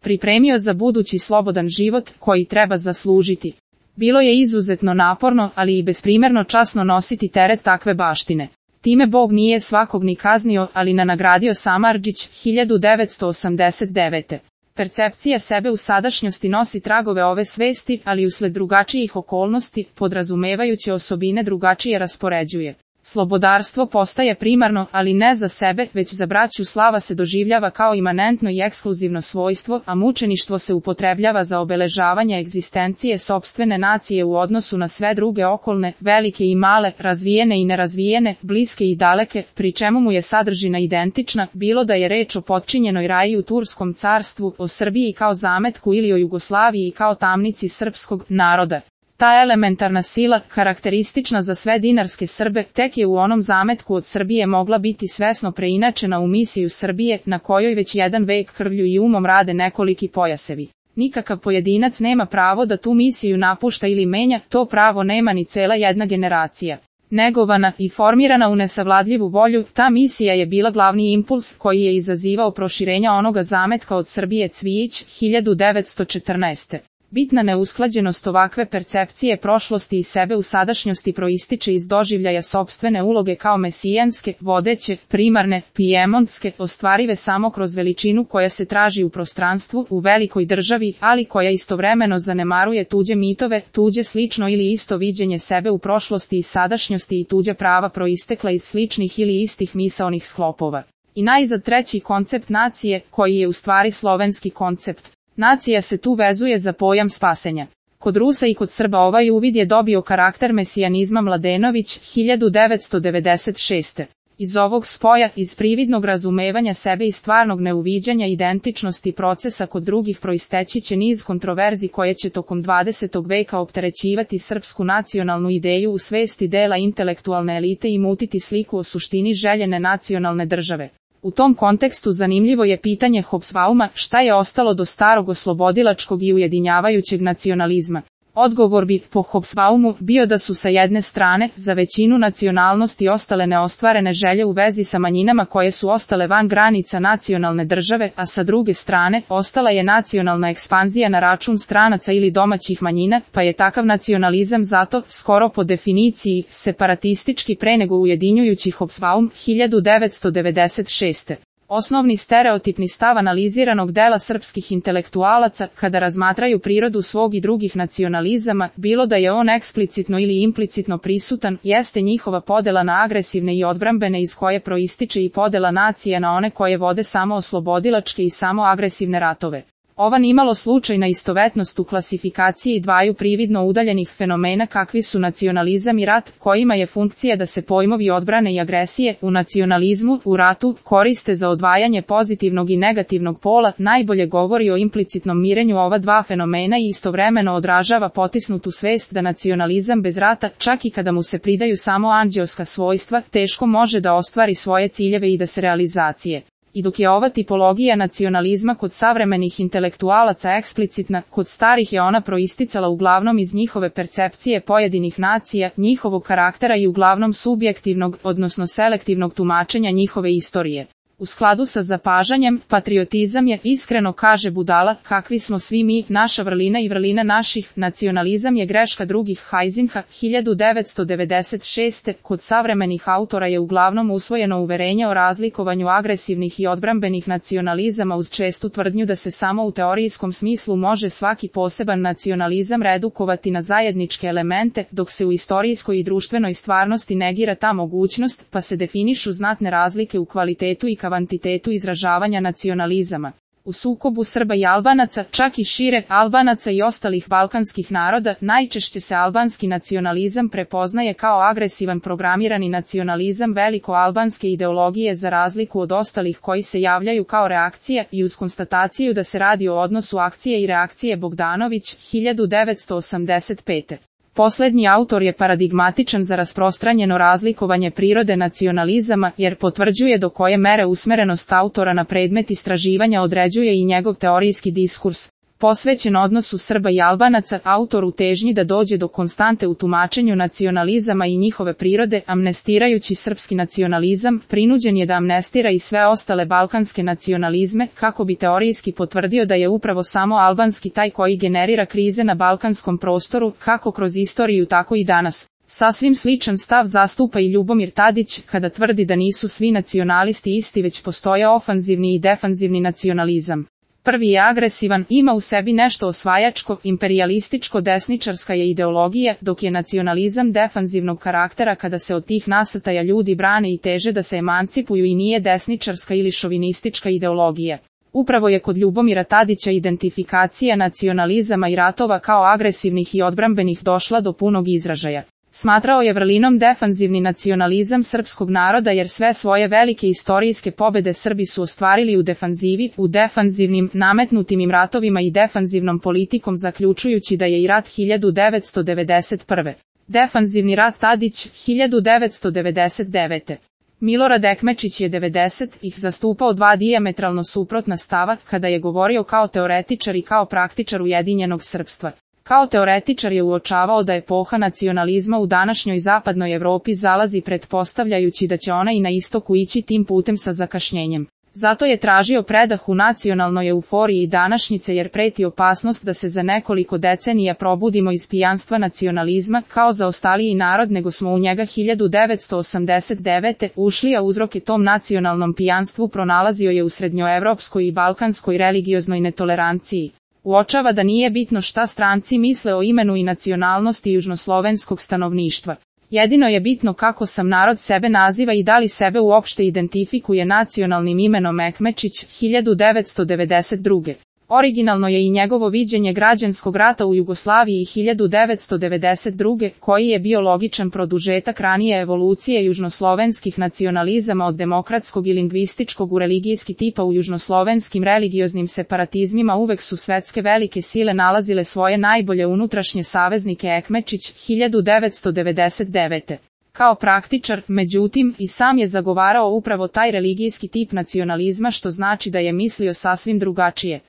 pripremio za budući slobodan život koji treba zaslužiti. Bilo je izuzetno naporno, ali i besprimerno časno nositi teret takve baštine. Time Bog nije svakog ni kaznio, ali nagradio Samardžić 1989. Percepcija sebe u sadašnjosti nosi tragove ove svesti, ali usled drugačijih okolnosti, podrazumevajuće osobine drugačije raspoređuje. Slobodarstvo postaje primarno, ali ne za sebe, već za braću. Slava se doživljava kao imanentno i ekskluzivno svojstvo, a mučeništvo se upotrebljava za obeležavanje egzistencije sopstvene nacije u odnosu na sve druge okolne, velike i male, razvijene i nerazvijene, bliske i daleke, pri čemu mu je sadržina identična, bilo da je reč o potčinjenoj raji u Turskom carstvu, o Srbiji kao zametku ili o Jugoslaviji kao tamnici srpskog naroda. Ta elementarna sila, karakteristična za sve dinarske Srbe, tek je u onom zametku od Srbije mogla biti svesno preinačena u misiju Srbije, na kojoj već jedan vek krvlju i umom rade nekoliki pojasevi. Nikakav pojedinac nema pravo da tu misiju napušta ili menja, to pravo nema ni cela jedna generacija. Negovana i formirana u nesavladljivu volju, ta misija je bila glavni impuls koji je izazivao proširenja onoga zametka od Srbije. Cvijić, 1914. Bitna neusklađenost ovakve percepcije prošlosti i sebe u sadašnjosti proističe iz doživljaja sopstvene uloge kao mesijanske, vodeće, primarne, pijemontske, ostvarive samo kroz veličinu koja se traži u prostranstvu, u velikoj državi, ali koja istovremeno zanemaruje tuđe mitove, tuđe slično ili isto viđenje sebe u prošlosti i sadašnjosti i tuđa prava proistekla iz sličnih ili istih misaonih sklopova. I najzad treći koncept nacije, koji je u stvari slovenski koncept. Nacija se tu vezuje za pojam spasenja. Kod Rusa i kod Srba ovaj uvid je dobio karakter mesijanizma. Mladenović, 1996. Iz ovog spoja, iz prividnog razumevanja sebe i stvarnog neuviđanja identičnosti procesa kod drugih proisteći će niz kontroverzi koje će tokom 20. veka opterećivati srpsku nacionalnu ideju u svesti dela intelektualne elite i mutiti sliku o suštini željene nacionalne države. U tom kontekstu zanimljivo je pitanje Hobsbauma, šta je ostalo do starog oslobodilačkog i ujedinjavajućeg nacionalizma. Odgovor bi, po Hobsbaumu, bio da su sa jedne strane, za većinu nacionalnosti ostale neostvarene želje u vezi sa manjinama koje su ostale van granica nacionalne države, a sa druge strane, ostala je nacionalna ekspanzija na račun stranaca ili domaćih manjina, pa je takav nacionalizam zato, skoro po definiciji, separatistički pre nego ujedinjujući. Hobsbaum, 1996. Osnovni stereotipni stav analiziranog dela srpskih intelektualaca, kada razmatraju prirodu svog i drugih nacionalizama, bilo da je on eksplicitno ili implicitno prisutan, jeste njihova podela na agresivne i odbrambene iz koje proističe i podela nacija na one koje vode samo oslobodilačke i samo agresivne ratove. Ova nimalo slučajna istovetnost u klasifikaciji dvaju prividno udaljenih fenomena kakvi su nacionalizam i rat, kojima je funkcija da se pojmovi odbrane i agresije, u nacionalizmu, u ratu, koriste za odvajanje pozitivnog i negativnog pola, najbolje govori o implicitnom mirenju ova dva fenomena i istovremeno odražava potisnutu svest da nacionalizam bez rata, čak i kada mu se pridaju samo anđeoska svojstva, teško može da ostvari svoje ciljeve i da se realizacije. I dok je ova tipologija nacionalizma kod savremenih intelektualaca eksplicitna, kod starih je ona proisticala uglavnom iz njihove percepcije pojedinih nacija, njihovog karaktera i uglavnom subjektivnog, odnosno selektivnog tumačenja njihove istorije. U skladu sa zapažanjem, patriotizam je, iskreno kaže Budala, kakvi smo svi mi, naša vrlina i vrlina naših, nacionalizam je greška drugih. Heisinha, 1996. Kod savremenih autora je uglavnom usvojeno uverenje o razlikovanju agresivnih i odbrambenih nacionalizama uz čestu tvrdnju da se samo u teorijskom smislu može svaki poseban nacionalizam redukovati na zajedničke elemente, dok se u istorijskoj i društvenoj stvarnosti negira ta mogućnost, pa se definišu znatne razlike u kvalitetu i kvantitetu izražavanja nacionalizama. U sukobu Srba i Albanaca, čak i šire, Albanaca i ostalih balkanskih naroda, najčešće se albanski nacionalizam prepoznaje kao agresivan programirani nacionalizam veliko-albanske ideologije za razliku od ostalih koji se javljaju kao reakcija i uz konstataciju da se radi o odnosu akcije i reakcije. Bogdanović, 1985. Poslednji autor je paradigmatičan za rasprostranjeno razlikovanje prirode nacionalizama, jer potvrđuje do koje mere usmerenost autora na predmet istraživanja određuje i njegov teorijski diskurs. Posvećen odnosu Srba i Albanaca, autor u težnji da dođe do konstante u tumačenju nacionalizama i njihove prirode, amnestirajući srpski nacionalizam, prinuđen je da amnestira i sve ostale balkanske nacionalizme, kako bi teorijski potvrdio da je upravo samo albanski taj koji generira krize na balkanskom prostoru, kako kroz istoriju tako i danas. Sasvim sličan stav zastupa i Ljubomir Tadić, kada tvrdi da nisu svi nacionalisti isti već postoje ofanzivni i defanzivni nacionalizam. Prvi je agresivan, ima u sebi nešto osvajačko, imperijalističko, desničarska je ideologija, dok je nacionalizam defanzivnog karaktera kada se od tih nasrtaja ljudi brane i teže da se emancipuju i nije desničarska ili šovinistička ideologija. Upravo je kod Ljubomira Tadića identifikacija nacionalizama i ratova kao agresivnih i odbrambenih došla do punog izražaja. Smatrao je vrlinom defanzivni nacionalizam srpskog naroda jer sve svoje velike istorijske pobede Srbi su ostvarili u defanzivi, u defanzivnim, nametnutim im ratovima i defanzivnom politikom zaključujući da je i rat 1991. Defanzivni rat Tadić, 1999. Milorad Ekmečić je 90-ih zastupao dva dijametralno suprotna stava kada je govorio kao teoretičar i kao praktičar ujedinjenog srpstva. Kao teoretičar je uočavao da epoha nacionalizma u današnjoj zapadnoj Evropi zalazi pretpostavljajući da će ona i na istoku ići tim putem sa zakašnjenjem. Zato je tražio predah u nacionalnoj euforiji današnjice jer preti opasnost da se za nekoliko decenija probudimo iz pijanstva nacionalizma kao zaostaliji narod nego smo u njega 1989. ušli, a uzroke tom nacionalnom pijanstvu pronalazio je u srednjoevropskoj i balkanskoj religioznoj netoleranciji. Uočava da nije bitno šta stranci misle o imenu i nacionalnosti južnoslovenskog stanovništva. Jedino je bitno kako sam narod sebe naziva i da li sebe uopšte identifikuje nacionalnim imenom Ekmečić, 1992. Originalno je i njegovo viđenje građanskog rata u Jugoslaviji 1992. koji je bio logičan produžetak ranije evolucije južnoslovenskih nacionalizama od demokratskog i lingvističkog u religijski tipa. U južnoslovenskim religioznim separatizmima uvek su svetske velike sile nalazile svoje najbolje unutrašnje saveznike. Ekmečić, 1999. Kao praktičar, međutim, i sam je zagovarao upravo taj religijski tip nacionalizma, što znači da je mislio sasvim drugačije.